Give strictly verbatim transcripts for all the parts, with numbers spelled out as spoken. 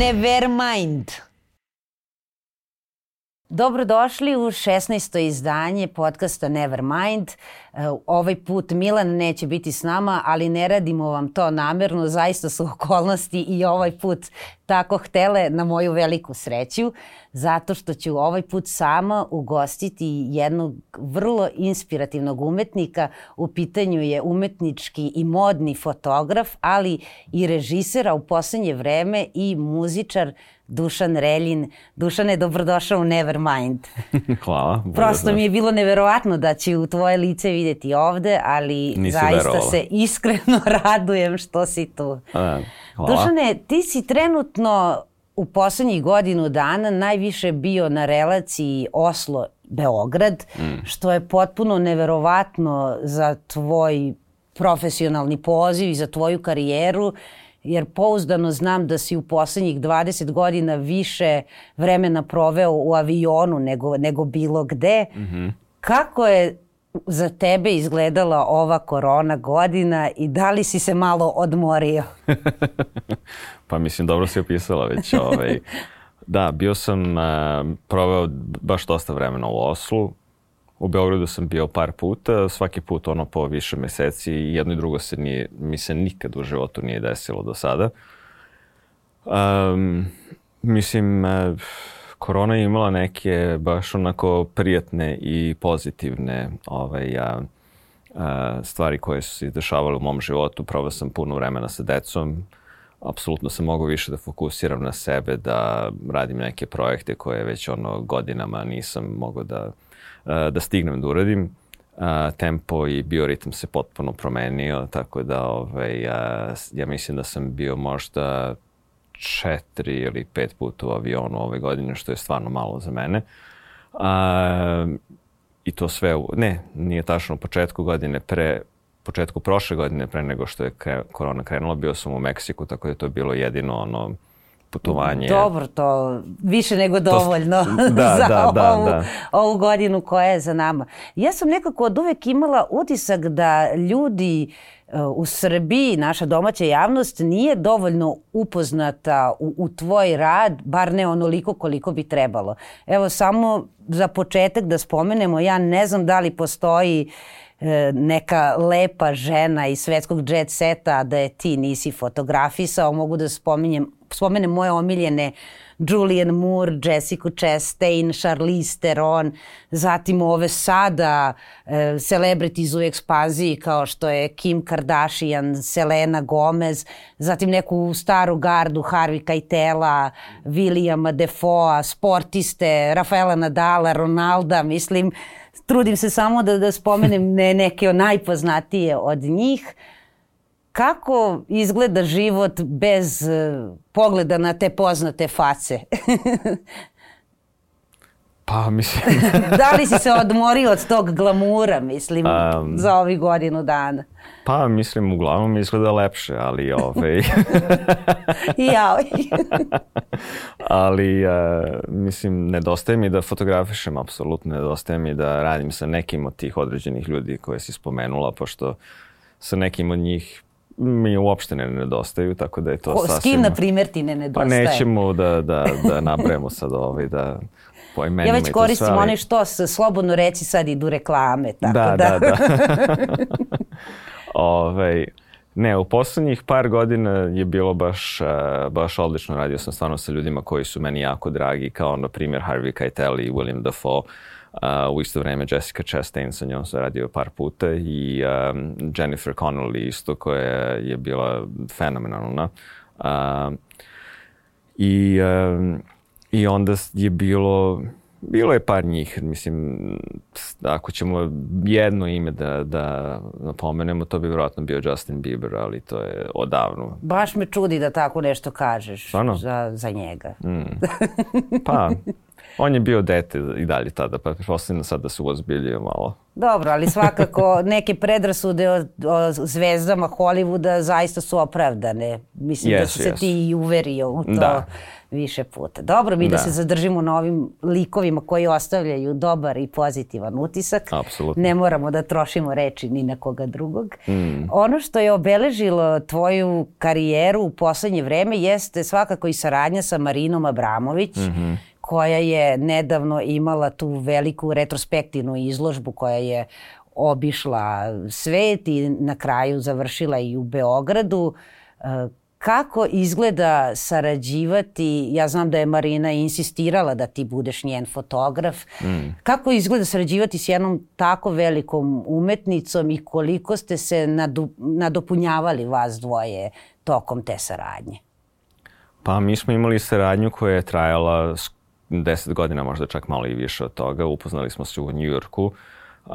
Nevermind. Dobrodošli u šesnaesto izdanje podcasta Nevermind. Ovaj put Milan neće biti s nama, ali ne radimo vam to namerno, zaista su okolnosti i ovaj put tako htele na moju veliku sreću, zato što ću ovaj put sama ugostiti jednog vrlo inspirativnog umetnika. U pitanju je umetnički i modni fotograf, ali i režisera u poslednje vreme i muzičar Dušan Reljin. Dušane, dobrodošao u Nevermind. Hvala. Prosto mi je bilo neverovatno da ću tvoje lice vidjeti ovde, ali Nisi zaista verovala. se iskreno radujem što si tu. A, hvala. Dušane, ti si trenutno u poslednjih godinu dana najviše bio na relaciji Oslo-Beograd, mm. što je potpuno neverovatno za tvoj profesionalni poziv i za tvoju karijeru, jer pouzdano znam da si u poslednjih dvadeset godina više vremena proveo u avionu nego, nego bilo gde. Mm-hmm. Kako je za tebe izgledala ova korona godina i da li si se malo odmorio? Pa mislim, dobro si opisala već. Ovaj. Da, bio sam, uh, proveo baš dosta vremena u Oslu. U Beogradu sam bio par puta, svaki put ono po više meseci i jedno i drugo se nije, mi se nikad u životu nije desilo do sada. Um, mislim, uh, korona je imala neke baš onako prijatne i pozitivne ovaj, uh, uh, stvari koje su se izdešavale u mom životu. Proveo sam puno vremena sa decom. Apsolutno sam mogao više da fokusiram na sebe, da radim neke projekte koje već ono godinama nisam mogao da da stignem da uradim. Tempo i bioritam se potpuno promenio, tako da ovaj, ja mislim da sam bio možda četiri ili pet puta u avionu ove godine, što je stvarno malo za mene. A, I to sve, u, ne, nije tačno u početku godine, pre, početku prošle godine, pre nego što je kre, korona krenula, bio sam u Meksiku, tako da je to bilo jedino ono putovanje. Dobro, to više nego dovoljno to, da, za da, da, ovu, da. ovu godinu koja je za nama. Ja sam nekako od uvek imala utisak da ljudi u Srbiji, naša domaća javnost, nije dovoljno upoznata u, u tvoj rad, bar ne onoliko koliko bi trebalo. Evo, samo za početak da spomenemo, ja ne znam da li postoji neka lepa žena iz svetskog jet seta da je ti nisi fotografisao. Mogu da spominjem, spomenem moje omiljene Julianne Moore, Jessica Chastain, Charlize Theron, zatim ove sada e, celebrities u ekspanziji kao što je Kim Kardashian, Selena Gomez, zatim neku staru gardu Harvey Keitela, Williama Defoea, sportiste, Rafaela Nadala, Ronalda, mislim, trudim se samo da, da spomenem ne, neke najpoznatije od njih. Kako izgleda život bez uh, pogleda na te poznate face? Pa mislim... Da li si se odmorio od tog glamura, mislim, um, za ovih godinu dana? Pa mislim, uglavnom izgleda lepše, ali ovaj... Jao. Ali, uh, mislim, nedostaje mi da fotografišem, apsolutno nedostaje mi da radim sa nekim od tih određenih ljudi koje si spomenula, pošto sa nekim od njih mi uopšte ne nedostaju, tako da je to Ko, sasvim... S kim, na primjer, ti ne nedostaje? Pa nećemo da, da, da nabrajemo sad ovaj, da po imenima ja i to već koristim sve, ali... one što se slobodno reći, sad idu reklame, tako da... Da, da, da. Ove, ne, u poslednjih par godina je bilo baš, baš odlično. Radio sam stvarno sa ljudima koji su meni jako dragi, kao na primjer Harvey Keitel i William Dafoe. Uh, u isto vreme Jessica Chastain, sa njom sam radio par puta, i um, Jennifer Connelly isto, koja je bila fenomenalna. Uh, i, um, I onda je bilo, bilo je par njih, mislim, ako ćemo jedno ime da, da napomenemo, to bi vjerojatno bio Justin Bieber, ali to je odavno. Baš me čudi da tako nešto kažeš Stvarno? za, za njega. Mm. Pa... On je bio dete i dalje tada, pa pretpostavljam sad da se uozbiljio malo. Dobro, ali svakako neke predrasude o, o zvezdama Hollywooda zaista su opravdane. Mislim yes, da si se yes. ti i uverio u to da. više puta. Dobro, mi da. da se zadržimo na ovim likovima koji ostavljaju dobar i pozitivan utisak. Apsolutno. Ne moramo da trošimo reči ni na koga drugog. Mm. Ono što je obeležilo tvoju karijeru u poslednje vreme jeste svakako i saradnja sa Marinom Abramović, mm-hmm. koja je nedavno imala tu veliku retrospektivnu izložbu koja je obišla svet i na kraju završila i u Beogradu. Kako izgleda sarađivati, ja znam da je Marina insistirala da ti budeš njen fotograf, mm. kako izgleda sarađivati s jednom tako velikom umetnicom i koliko ste se nadu, nadopunjavali vas dvoje tokom te saradnje? Pa mi smo imali saradnju koja je trajala deset godina, možda čak malo i više od toga. Upoznali smo se u Njujorku. Uh,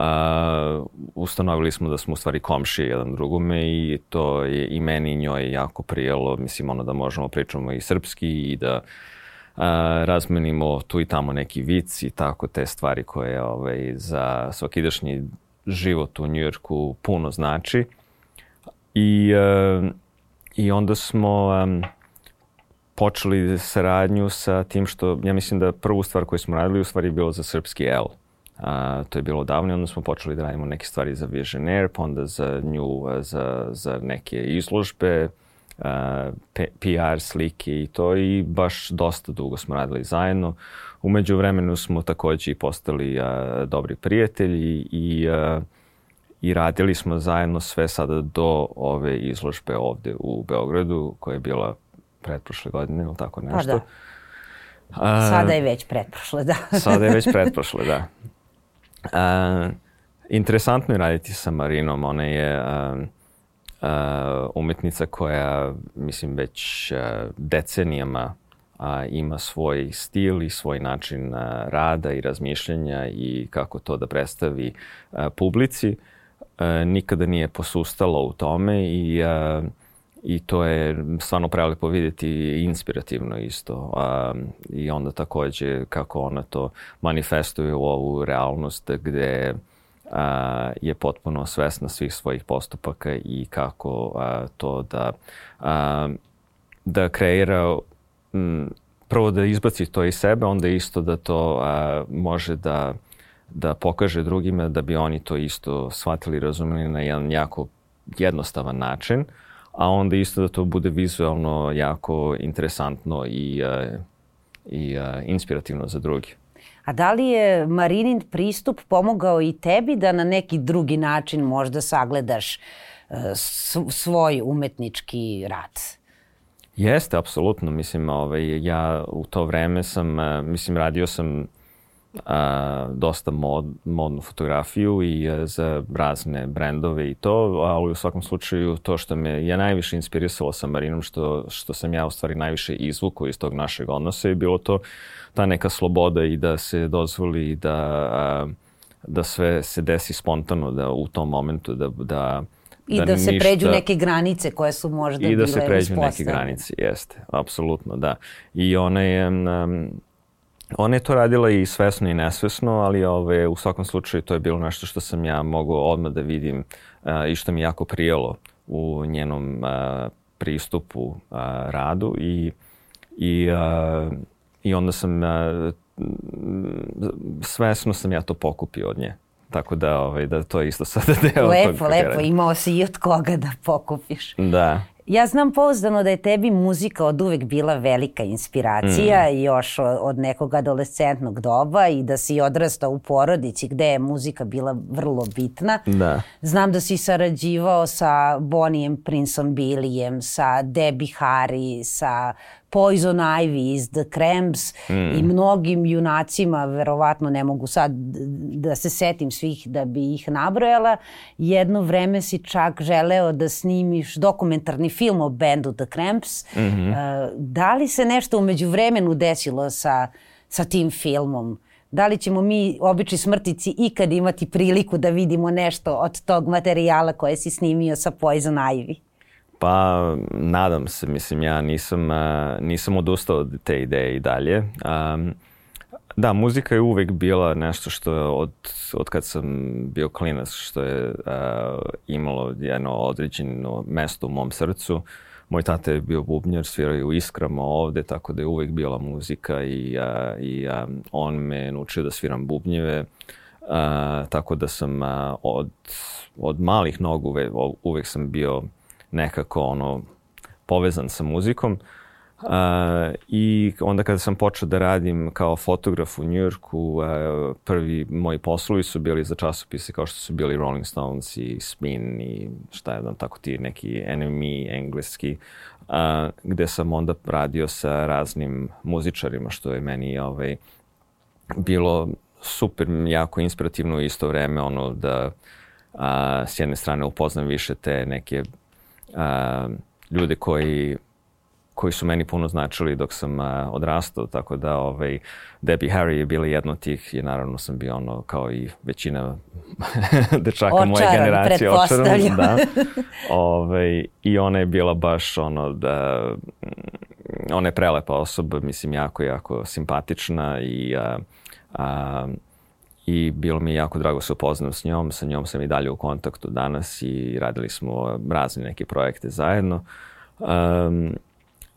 ustanovili smo da smo u stvari komšije jedan drugome i to je i meni i njoj jako prijelo. Mislim, ono da možemo pričamo i srpski i da uh, razmenimo tu i tamo neki vic i tako te stvari koje ovaj, za svakidašnji život u Njujorku puno znači. I, uh, i onda smo um, počeli saradnju sa tim što, ja mislim da prvu stvar koju smo radili u stvari je bilo za srpski L. A, to je bilo davno i onda smo počeli da radimo neke stvari za Visionaire, pa onda za nju, za, za neke izložbe, a, P R slike i to i baš dosta dugo smo radili zajedno. U međuvremenu smo takođe i postali a, dobri prijatelji i, a, i radili smo zajedno sve sada do ove izložbe ovde u Beogradu koja je bila pretprošle godine ili tako nešto. Pa da. Sada je već pretprošle, da. Sada je već pretprošle, da. Uh, interesantno je raditi sa Marinom. Ona je uh, uh, umetnica koja, mislim, već uh, decenijama uh, ima svoj stil i svoj način uh, rada i razmišljanja i kako to da predstavi uh, publici. Uh, nikada nije posustala u tome i uh, I to je stvarno prelepo vidjeti i inspirativno isto. Um, I onda takođe kako ona to manifestuje u ovu realnost gde uh, je potpuno svesna svih svojih postupaka i kako uh, to da, uh, da kreira, um, prvo da izbaci to iz sebe, onda isto da to uh, može da, da pokaže drugima da bi oni to isto shvatili i razumeli na jedan jako jednostavan način. A onda isto da to bude vizualno jako interesantno i, uh, i uh, inspirativno za drugi. A da li je Marinin pristup pomogao i tebi da na neki drugi način možda sagledaš uh, svoj umetnički rad? Jeste, apsolutno. Mislim, ovaj, ja u to vreme sam, uh, mislim, radio sam a, dosta mod, modnu fotografiju i a, za razne brendove i to, ali u svakom slučaju to što me je najviše inspirisalo sa Marinom, što, što sam ja u stvari najviše izvukao iz tog našeg odnosa je bilo to ta neka sloboda i da se dozvoli da, a, da sve se desi spontano, da u tom momentu da, da I da, da se ništa, pređu neke granice koje su možda bile uspostavljene. I da se pređu neke granice, jeste, apsolutno, da. I ona je, um, ona je to radila i svesno i nesvesno, ali ove, u svakom slučaju to je bilo nešto što sam ja mogao odmah da vidim uh, i što mi jako prijelo u njenom uh, pristupu uh, radu i, i, uh, i onda sam, uh, svesno sam ja to pokupio od nje. Tako da, ovaj, da to je isto sada deo lepo, tog. Lepo, lepo. Imao si i od koga da pokupiš. Da. Ja znam pouzdano da je tebi muzika od uvek bila velika inspiracija, mm. još od nekog adolescentnog doba i da si odrastao u porodici gde je muzika bila vrlo bitna. Da. Znam da si sarađivao sa Bonijem Princeom Billyjem, sa Debbie Harry, sa Poison Ivy iz The Cramps mm. i mnogim junacima, verovatno ne mogu sad da se setim svih da bi ih nabrojala. Jedno vreme si čak želeo da snimiš dokumentarni film o bendu The Cramps. Mm-hmm. Uh, da li se nešto u međuvremenu desilo sa, sa tim filmom? Da li ćemo mi, obični smrtici, ikad imati priliku da vidimo nešto od tog materijala koje si snimio sa Poison Ivy? Pa, nadam se. Mislim, ja nisam, uh, nisam odustao od te ideje i dalje. Um, Da, muzika je uvek bila nešto što je od, od kad sam bio klinac, što je uh, imalo jedno određeno mesto u mom srcu. Moj tata je bio bubnjar, svirao je u Iskrama ovde, tako da je uvek bila muzika i, uh, i uh, on me naučio da sviram bubnjeve. Uh, tako da sam uh, od, od malih nogu uvek, uvek sam bio nekako ono povezan sa muzikom. Uh, I onda kada sam počeo da radim kao fotograf u Njujorku, uh, prvi moji poslovi su bili za časopise kao što su bili Rolling Stones i Spin i šta je znam, tako ti neki N M E engleski, uh, gde sam onda radio sa raznim muzičarima, što je meni ovaj, bilo super, jako inspirativno u isto vreme, ono da uh, s jedne strane upoznam više te neke uh, ljude koji koji su meni puno značili dok sam uh, odrastao, tako da ovaj, Debbie Harry je bila jedna od tih i naravno sam bio ono kao i većina dečaka očaran, moje generacije očaran. Da. Ovaj, I ona je bila baš ono da, ona je prelepa osoba, mislim jako, jako simpatična i, uh, uh, i bilo mi je jako drago se upoznam s njom, sa njom sam i dalje u kontaktu danas i radili smo razne neke projekte zajedno. Um,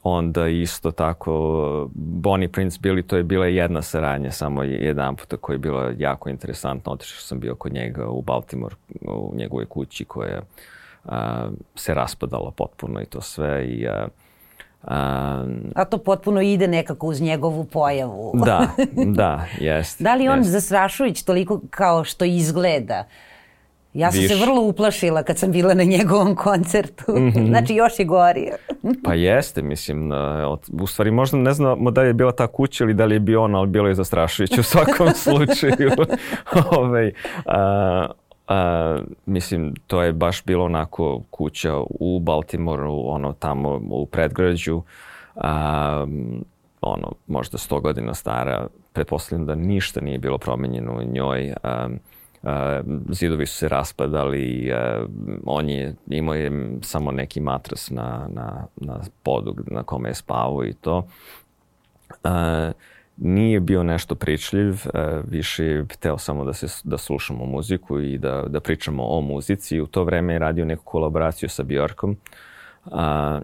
Onda isto tako Bonnie Prince Billy, to je bila jedna saradnja, samo jedan puta koja je bila jako interesantna. Otišao sam bio kod njega u Baltimore, u njegovoj kući koja a, se raspadala potpuno i to sve. I, a, a, a to potpuno ide nekako uz njegovu pojavu. Da, da, jest. Da li on jest. zastrašujuć toliko kao što izgleda? Ja sam Viš. se vrlo uplašila kad sam bila na njegovom koncertu. Mm-hmm. Znači, još je gorio. Pa jeste, mislim. U stvari, možda ne znamo da li je bila ta kuća ili da li je bio on, ali bilo je zastrašujuće u svakom slučaju. Ove, a, a, mislim, to je baš bilo onako kuća u Baltimoru, ono tamo u predgrađu. A, ono, možda sto godina stara. Pretpostavljam da ništa nije bilo promenjeno u njoj. A, Uh, zidovi su se raspadali, uh, on je imao je samo neki matras na, na, na podu na kome je spavao i to. Uh, nije bio nešto pričljiv, uh, više je hteo samo da, se, da slušamo muziku i da, da pričamo o muzici. U to vreme je radio neku kolaboraciju sa Björkom. Uh,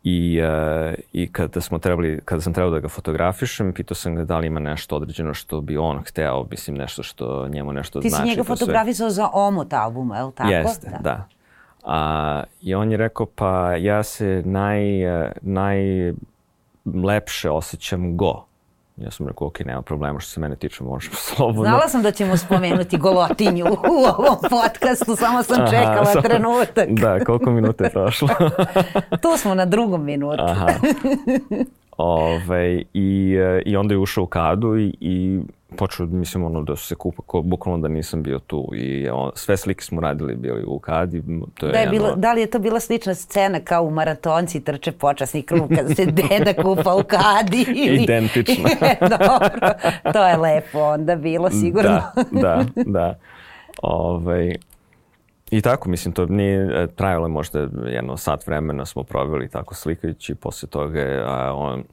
I, uh, i kada, smo trebali, kada sam trebao da ga fotografišem, pitao sam ga da li ima nešto određeno što bi on hteo, mislim nešto što njemu nešto Ti znači. si njega fotografisao za omot albuma, je li tako? Jeste, da. da. A, I on je rekao, pa ja se naj, najlepše osjećam go. Ja sam rekao, ok, nema problema što se mene tiče, možemo slobodno. Znala sam da ćemo spomenuti golotinju u ovom podcastu, samo sam Aha, čekala sam, trenutak. Da, koliko minuta je prošlo? Tu smo na drugom minutu. Aha. Ove, i, I onda je ušao u kadu i, i počeo, mislim, ono, da se kupa, ko, bukvalno da nisam bio tu. I on, sve slike smo radili bili u kadi. To je da, je jedno... bilo, da li je to bila slična scena kao u Maratonci trče počasni krug kada se deda kupa u kadi? Ili... Identično. Dobro, to je lepo onda bilo sigurno. Da, da, da. Ove, I tako, mislim, to nije trajalo možda jedno sat vremena smo proveli tako slikajući. Posle toga je a, on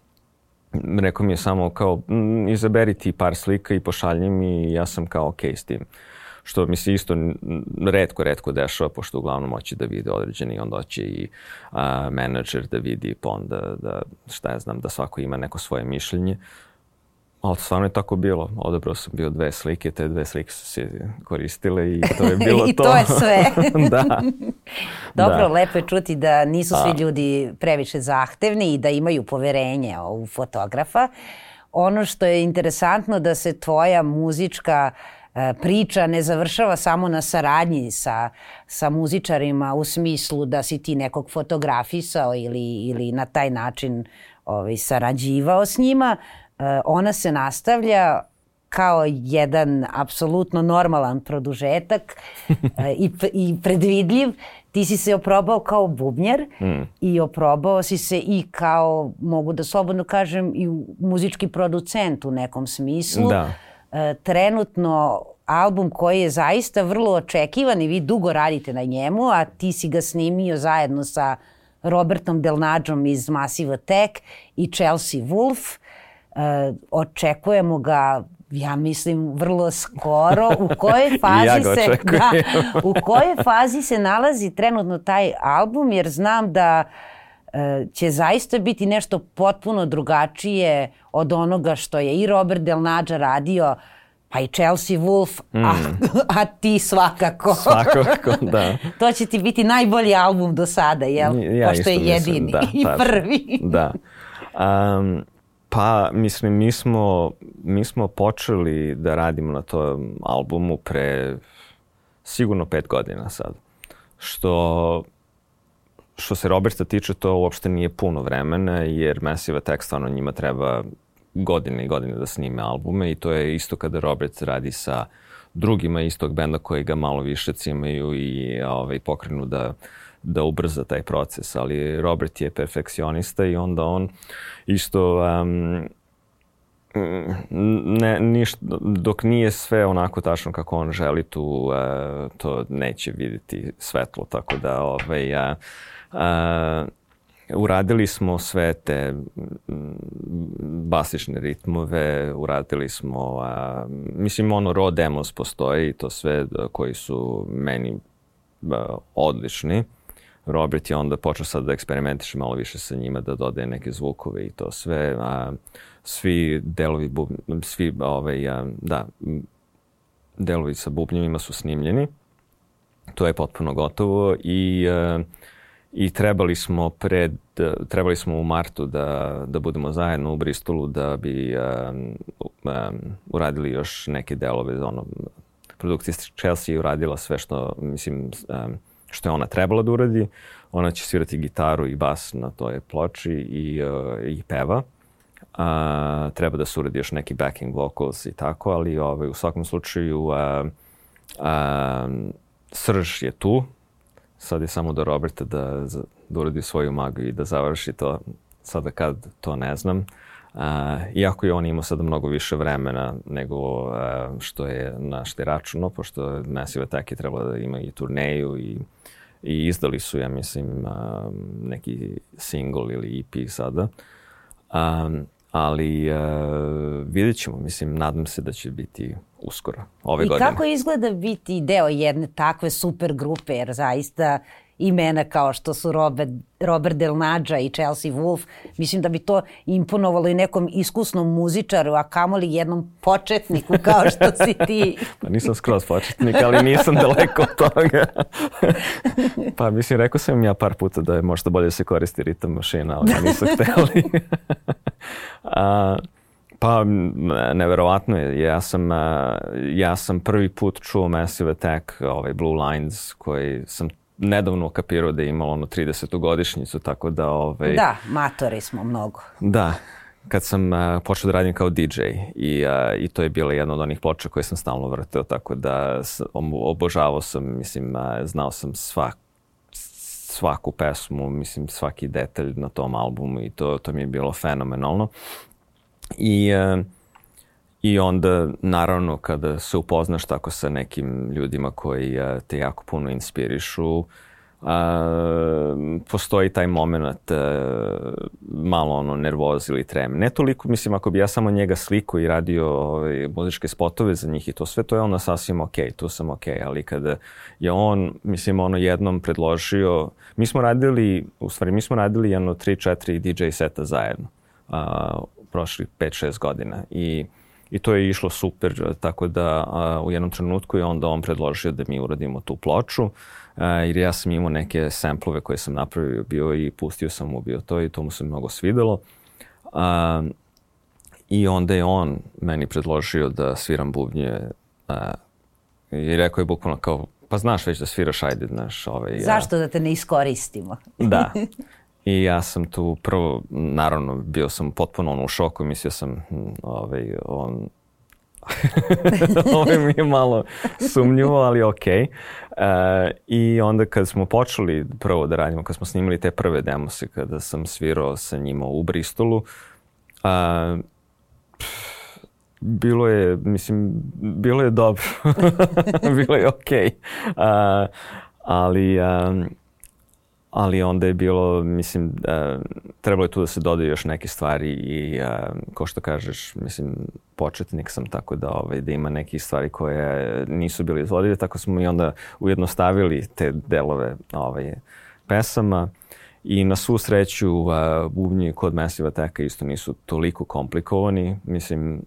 rekao mi je samo kao m, izaberi ti par slika i pošalji mi i ja sam kao okej s tim. Što mi se isto retko, retko dešava, pošto uglavnom hoće da vide određeni, onda hoće i a, menadžer da vidi, pa onda da, šta ja znam, da svako ima neko svoje mišljenje. Ali stvarno je tako bilo. Odabrao sam bio dve slike, te dve slike su se koristile i to je bilo to. I to je sve. Da. Dobro, da. Lepo je čuti da nisu svi A. ljudi previše zahtevni i da imaju poverenje u fotografa. Ono što je interesantno da se tvoja muzička priča ne završava samo na saradnji sa, sa muzičarima u smislu da si ti nekog fotografisao ili, ili na taj način ovaj, sarađivao s njima. Ona se nastavlja kao jedan apsolutno normalan produžetak i, i predvidljiv. Ti si se oprobao kao bubnjar mm. i oprobao si se i kao, mogu da slobodno kažem, i muzički producent u nekom smislu. Da. Trenutno album koji je zaista vrlo očekivan i vi dugo radite na njemu, a ti si ga snimio zajedno sa Robertom Del Nađom iz Massive Attack i Chelsea Wolfe. očekujemo ga, ja mislim, vrlo skoro. U kojoj fazi ja se da, u kojoj fazi se nalazi trenutno taj album, jer znam da će zaista biti nešto potpuno drugačije od onoga što je i Robert Del Nađa radio, pa i Chelsea Wolfe, mm. a, a ti svakako. Svakako, da. To će ti biti najbolji album do sada, jel? Ja pošto je jedini mislim, da, i tačno. prvi. Da. Um, pa, mislim, mi smo, mi smo počeli da radimo na tom albumu pre sigurno pet godina sad. Što... Što se Roberta tiče, to uopšte nije puno vremena, jer Massive Attack stvarno njima treba godine i godine da snime albume i to je isto kada Robert radi sa drugima istog benda koji ga malo više cimaju i ovaj, pokrenu da, da ubrza taj proces. Ali Robert je perfekcionista i onda on isto... Um, ne, ništa, dok nije sve onako tačno kako on želi, tu uh, to neće vidjeti svetlo, tako da ovaj, uh, uh, uradili smo sve te basične ritmove, uradili smo, uh, mislim ono raw demos postoji i to sve koji su meni uh, odlični. Robert je onda počeo sad da eksperimentiše malo više sa njima, da dodaje neke zvukove i to sve. A, svi delovi, bub, svi ovaj, a, da, delovi sa bubnjevima su snimljeni. To je potpuno gotovo i, a, i trebali smo pred, trebali smo u martu da, da budemo zajedno u Bristolu da bi a, a, uradili još neke delove. Ono, produkcija Chelsea je uradila sve što, mislim, a, što je ona trebala da uradi. Ona će svirati gitaru i bas na toj ploči i, uh, i peva. Uh, treba da se uradi još neki backing vocals i tako, ali ovaj, u svakom slučaju uh, uh, srž je tu. Sad je samo do Roberta da, da uradi svoju magiju i da završi to. Sada kad to ne znam. Uh, iako je on imao sada mnogo više vremena nego uh, što je na što je računo, pošto Massive Attack je trebalo da ima i turneju i, i izdali su, ja mislim, uh, neki single ili E P sada. Um, ali uh, vidjet ćemo, mislim, nadam se da će biti uskoro, ove I godine. I kako izgleda biti deo jedne takve super grupe, jer zaista imena kao što su Robert, Robert Del Nađa i Chelsea Wolfe, mislim da bi to imponovalo i nekom iskusnom muzičaru, a kamoli jednom početniku kao što si ti. Pa nisam skroz početnik, ali nisam daleko od toga. Pa mislim, rekao sam ja par puta da je možda bolje se koristi ritam mašina, ali nisu hteli. a, pa neverovatno je. Ja sam, ja sam prvi put čuo Massive Attack, ovaj Blue Lines, koji sam nedavno kapirao da je imalo ono tridesetu godišnjicu, tako da... Ovaj, da, matori smo mnogo. Da, kad sam uh, počeo da radim kao D J i, uh, i to je bila jedna od onih ploča koje sam stalno vrteo, tako da obožavao sam, mislim, uh, znao sam svak, svaku pesmu, mislim, svaki detalj na tom albumu i to, to mi je bilo fenomenalno. I... Uh, I onda, naravno, kada se upoznaš tako sa nekim ljudima koji a, te jako puno inspirišu, a, postoji taj moment a, malo ono nervoz ili trem. Ne toliko, mislim, ako bi ja samo njega sliku i radio ove, muzičke spotove za njih i to sve, to je ono sasvim okej, tu sam okej, ali kada je on, mislim, ono jednom predložio, mi smo radili, u stvari, mi smo radili jedno tri četiri D J seta zajedno, a, prošli pet šest godina i I to je išlo super, tako da a, u jednom trenutku je onda on predložio da mi uradimo tu ploču, a, jer ja sam imao neke samplove koje sam napravio bio i pustio sam mu bio to i to mu se mnogo svidelo. A, I onda je on meni predložio da sviram bubnje a, i rekao je bukvalno kao, pa znaš već da sviraš, ajde, znaš. Ovaj, Zašto ja... da te ne iskoristimo? Da. I ja sam tu prvo, naravno, bio sam potpuno ono u šoku, mislio sam, ovaj, on, ovaj mi je malo sumnjivo, ali okej. Okay. Uh, I onda kad smo počeli prvo da radimo, kad smo snimili te prve demose, kada sam svirao sa njima u Bristolu, uh, bilo je, mislim, bilo je dobro. Bilo je okej. Okay. Uh, ali... Um, ali onda je bilo, mislim, uh, trebalo je tu da se dodaju još neke stvari i, uh, ko što kažeš, mislim, početnik sam, tako da, ovaj, da ima neke stvari koje nisu bile izvodive, tako smo i onda ujednostavili te delove ovaj, pesama. I na svu sreću, uh, bubnji kod Massive Attacka isto nisu toliko komplikovani. Mislim,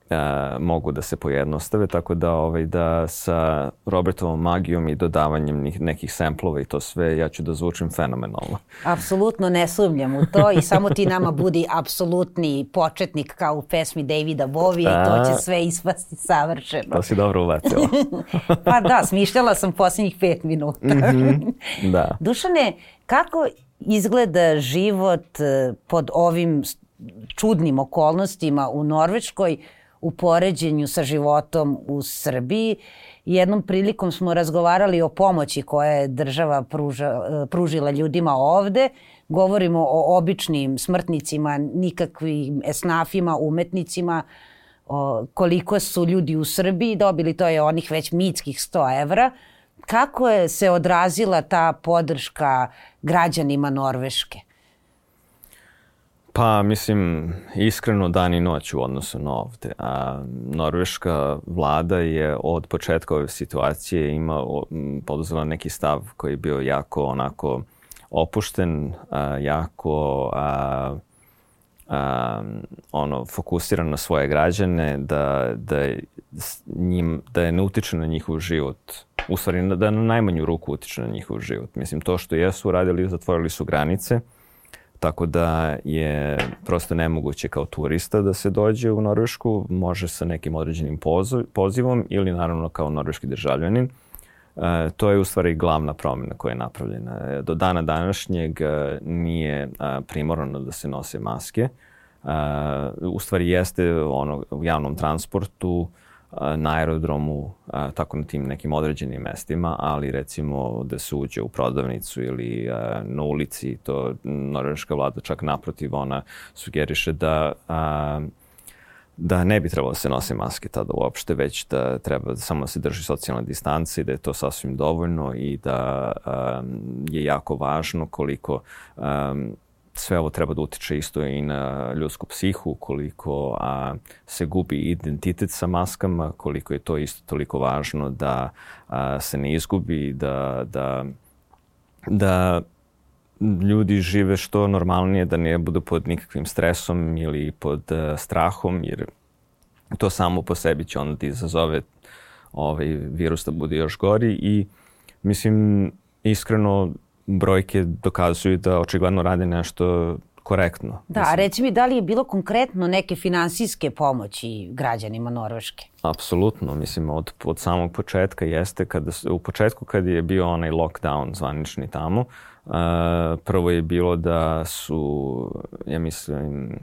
uh, mogu da se pojednostave, tako da, ovaj, da sa Robertovom magijom i dodavanjem nekih samplova i to sve, ja ću da zvučim fenomenalno. Apsolutno ne sumnjam u to i samo ti nama budi apsolutni početnik kao u pesmi Davida Bovija i to će sve ispasti savršeno. To si dobro ubacila. Pa da, smišljala sam posljednjih pet minuta. Mm-hmm. Da. Dušane, kako izgleda život pod ovim čudnim okolnostima u Norveškoj u poređenju sa životom u Srbiji? Jednom prilikom smo razgovarali o pomoći koje je država pruža, pružila ljudima ovde. Govorimo o običnim smrtnicima, nikakvim esnafima, umetnicima. O, koliko su ljudi u Srbiji dobili, to je onih već mitskih sto evra. Kako je se odrazila ta podrška građanima Norveške? Pa, mislim, iskreno dan i noć u odnosu na ovde. A norveška vlada je od početka ove situacije ima poduzela neki stav koji je bio jako onako opušten, a, jako a, a, ono, fokusiran na svoje građane, da, da, njim, da je ne utiče na njihov život. U stvari, da na najmanju ruku utiče na njihov život. Mislim, to što jesu uradili, zatvorili su granice, tako da je prosto nemoguće kao turista da se dođe u Norvešku, može sa nekim određenim pozivom ili naravno kao norveški državljanin. E, to je u stvari glavna promjena koja je napravljena. Do dana današnjeg nije primorano da se nose maske. E, u stvari jeste ono, u javnom transportu, na aerodromu, tako na tim nekim određenim mestima, ali recimo da se uđe u prodavnicu ili na ulici, to norveška vlada čak naprotiv, ona sugeriše da, da ne bi trebalo da se nose maske tada uopšte, već da treba samo da se drži socijalna distanca i da je to sasvim dovoljno i da je jako važno koliko sve ovo treba da utiče isto i na ljudsku psihu, koliko a, se gubi identitet sa maskama, koliko je to isto toliko važno da a, se ne izgubi, da, da, da ljudi žive što normalnije, da ne budu pod nikakvim stresom ili pod a, strahom, jer to samo po sebi će onda da izazove ovaj virus da bude još gori i mislim iskreno brojke dokazuju da očigledno rade nešto korektno. Da, a reci mi, da li je bilo konkretno neke finansijske pomoći građanima Norveške? Apsolutno, mislim, od, od samog početka jeste, kada, u početku kad je bio onaj lockdown zvanični tamo, uh, prvo je bilo da su, ja mislim,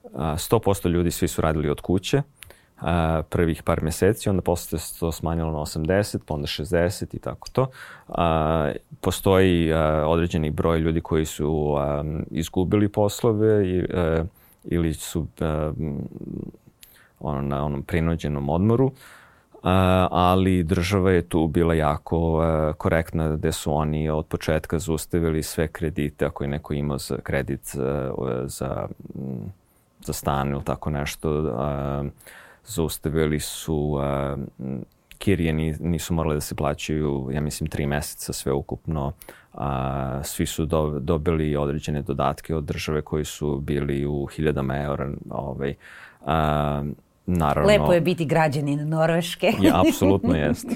uh, sto posto ljudi svi su radili od kuće, Uh, prvih par mjeseci, onda posle se to smanjilo na osamdeset, pa onda šezdeset i tako to. Uh, postoji uh, određeni broj ljudi koji su um, izgubili poslove i, uh, ili su uh, ono, na onom prinuđenom odmoru, uh, ali država je tu bila jako uh, korektna, gde su oni od početka zaustavili sve kredite, ako je neko imao za kredit uh, za, za stan ili tako nešto, uh, zaustavili su, uh, kirije nisu morali da se plaćaju, ja mislim, tri meseca sve ukupno. Uh, svi su do, dobili određene dodatke od države koji su bili u hiljadama eura. Ovaj, uh, naravno, lepo je biti građanin Norveške. Ja, apsolutno jeste.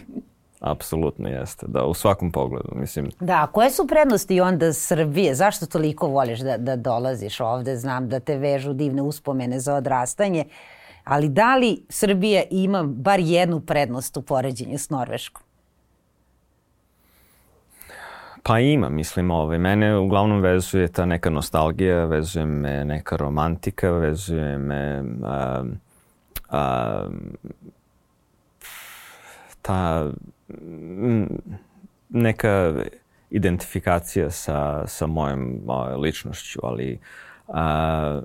Apsolutno jeste, da, u svakom pogledu, mislim. Da, koje su prednosti onda Srbije? Zašto toliko voliš da, da dolaziš ovde? Znam da te vežu divne uspomene za odrastanje. Ali da li Srbija ima bar jednu prednost u poređenju s Norveškom? Pa ima, mislim, ove. Mene uglavnom vezuje ta neka nostalgija, vezuje me neka romantika, vezuje me a, a, ta neka identifikacija sa, sa mojom a, ličnošću, ali a,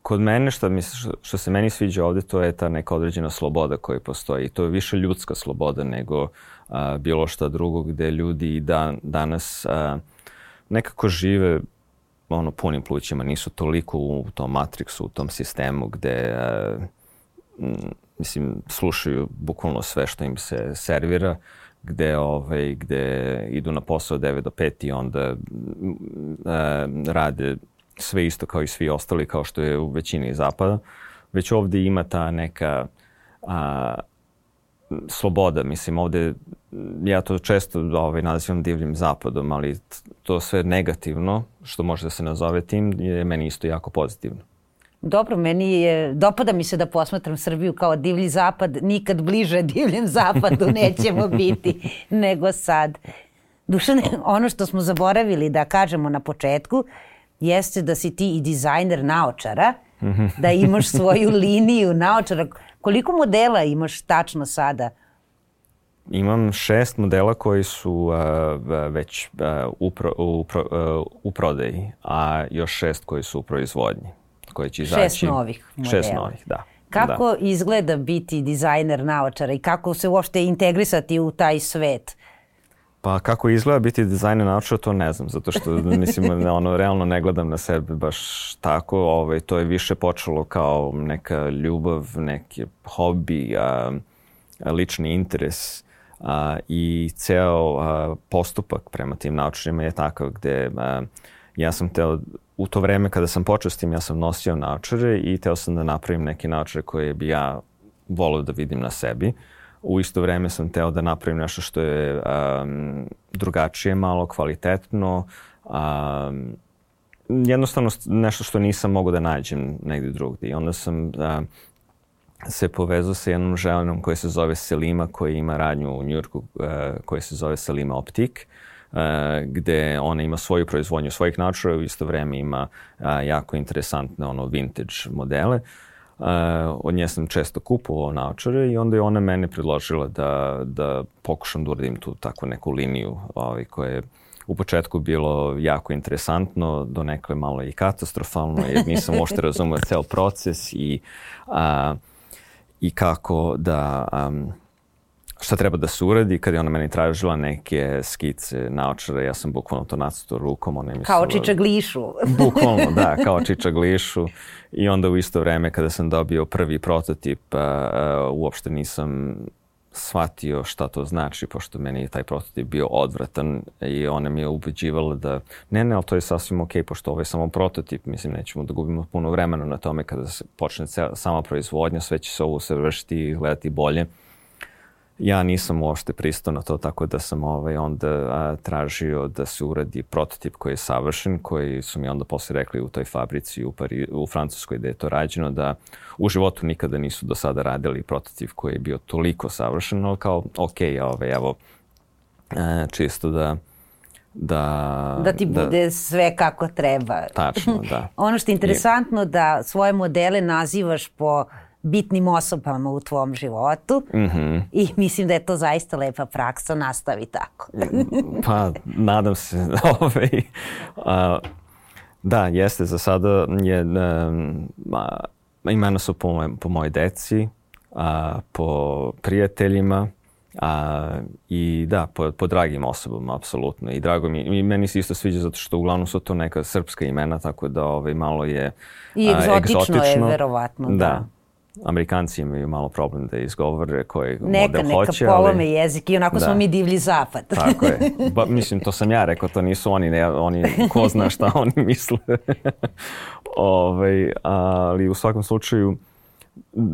kod mene, što, mi, što se meni sviđa ovde, to je ta neka određena sloboda koja postoji. To je više ljudska sloboda nego a, bilo šta drugo, gde ljudi dan, danas a, nekako žive ono punim plućima, nisu toliko u tom matriksu, u tom sistemu gde uh, mislim, slušaju bukvalno sve što im se servira, gde, ovaj, gde idu na posao devet do pet i onda uh, rade sve isto kao i svi ostali, kao što je u većini zapada. Već ovdje ima ta neka a, sloboda. Mislim, ovdje, ja to često ovaj, nazivam divljim zapadom, ali to sve negativno, što može da se nazove tim, je meni isto jako pozitivno. Dobro, meni je, dopada mi se da posmatram Srbiju kao divlji zapad. Nikad bliže divljem zapadu nećemo biti nego sad. Dušane, ono što smo zaboravili da kažemo na početku jeste da si ti i dizajner naočara, da imaš svoju liniju naočara. Koliko modela imaš tačno sada? Imam šest modela koji su uh, već uh, u, pro, u, pro, uh, u prodaji, a još šest koji su u proizvodnji. Koji će izaći. Šest novih modela. Šest novih, da. Kako da. izgleda biti dizajner naočara i kako se uopšte integrisati u taj svet? Pa kako izgleda biti dizajner naočara, to ne znam, zato što mislim, ono, realno ne gledam na sebe baš tako. Ovaj, to je više počelo kao neka ljubav, neki hobi, a, a, lični interes a, i ceo a, postupak prema tim naočarima je takav gde a, ja sam teo, u to vreme kada sam počeo s tim, ja sam nosio naočare i teo sam da napravim neke naočare koje bi ja volio da vidim na sebi. U isto vreme sam teo da napravim nešto što je um, drugačije malo, kvalitetno. Um, jednostavno nešto što nisam mogao da nađem negdje drugdje. I onda sam uh, se povezao sa jednom ženom koja se zove Selima, koja ima radnju u Njujorku, uh, koja se zove Selima Optik, uh, gde ona ima svoju proizvodnju svojih naočara, u isto vreme ima uh, jako interesantne ono, vintage modele. Uh, od nje sam često kupovao naočare i onda je ona mene predložila da, da pokušam da uradim tu takvu neku liniju ovaj, koja je u početku bilo jako interesantno, donekle malo i katastrofalno, jer nisam uopšte razumio ceo proces i, uh, i kako da, um, šta treba da se uradi. Kad je ona meni tražila neke skice naočara, ja sam bukvalno to nacrtao rukom. Ona je mislila, kao čičaglišu. Bukvalno, da, kao čičaglišu. I onda u isto vreme kada sam dobio prvi prototip, uh, uopšte nisam shvatio šta to znači, pošto meni je taj prototip bio odvratan i ona mi je ubeđivala da ne, ne, ali to je sasvim okej, pošto ovo je samo prototip. Mislim, nećemo da gubimo puno vremena na tome kada se počne sama proizvodnja, sve će se ovo usavršiti i gledati bolje. Ja nisam uopšte pristao na to, tako da sam ovaj, onda a, tražio da se uradi prototip koji je savršen, koji su mi onda posle rekli u toj fabrici u, Pari, u Francuskoj da je to rađeno, da u životu nikada nisu do sada radili prototip koji je bio toliko savršen, ali kao, ok, ovaj, evo, a, čisto da... Da, da ti bude da, sve kako treba. Tačno, da. Ono što je interesantno I... da svoje modele nazivaš po bitnim osobama u tvom životu mm-hmm. i mislim da je to zaista lepa praksa, nastavi tako. Pa, nadam se. Ovaj, a, da, jeste, za sada je, a, imena su po, moj, po mojoj deci, a, po prijateljima, a, i da, po, po dragim osobama, apsolutno. I drago mi, i meni se isto sviđa zato što uglavnom su to neka srpska imena, tako da ovaj, malo je I egzotično, a, egzotično je, verovatno. Da. da. Amerikanci imaju malo problem da izgovore koji neka, model hoće. Neka polome ali... jezik i onako da. Smo mi divlji zapad. Tako je. Ba, mislim, to sam ja rekao, to nisu oni, ne, oni ko zna šta oni misle. Ove, ali u svakom slučaju,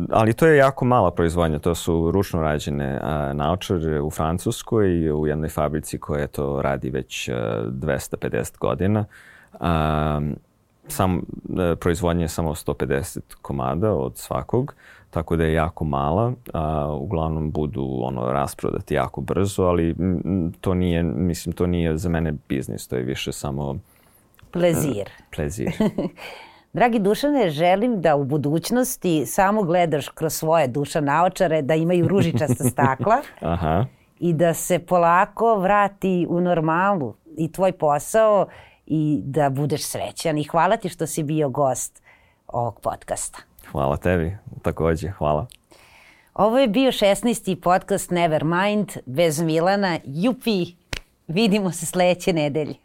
ali to je jako mala proizvodnja. To su ručno rađene a, naočare u Francuskoj i u jednoj fabrici koja to radi već a, dvesta pedeset godina. A, Sam, proizvodnja je samo sto pedeset komada od svakog, tako da je jako mala. A, uglavnom budu ono, rasprodati jako brzo, ali m, to nije, mislim, to nije za mene biznis, to je više samo... Plezir. Uh, plezir. Dragi Dušane, želim da u budućnosti samo gledaš kroz svoje duša naočare, da imaju ružičasta stakla Aha. i da se polako vrati u normalu i tvoj posao i da budeš srećan. I hvala ti što si bio gost ovog podcasta. Hvala tebi, također, hvala. Ovo je bio šesnaesti podcast Nevermind bez Milana. Jupi, vidimo se sledeće nedelje.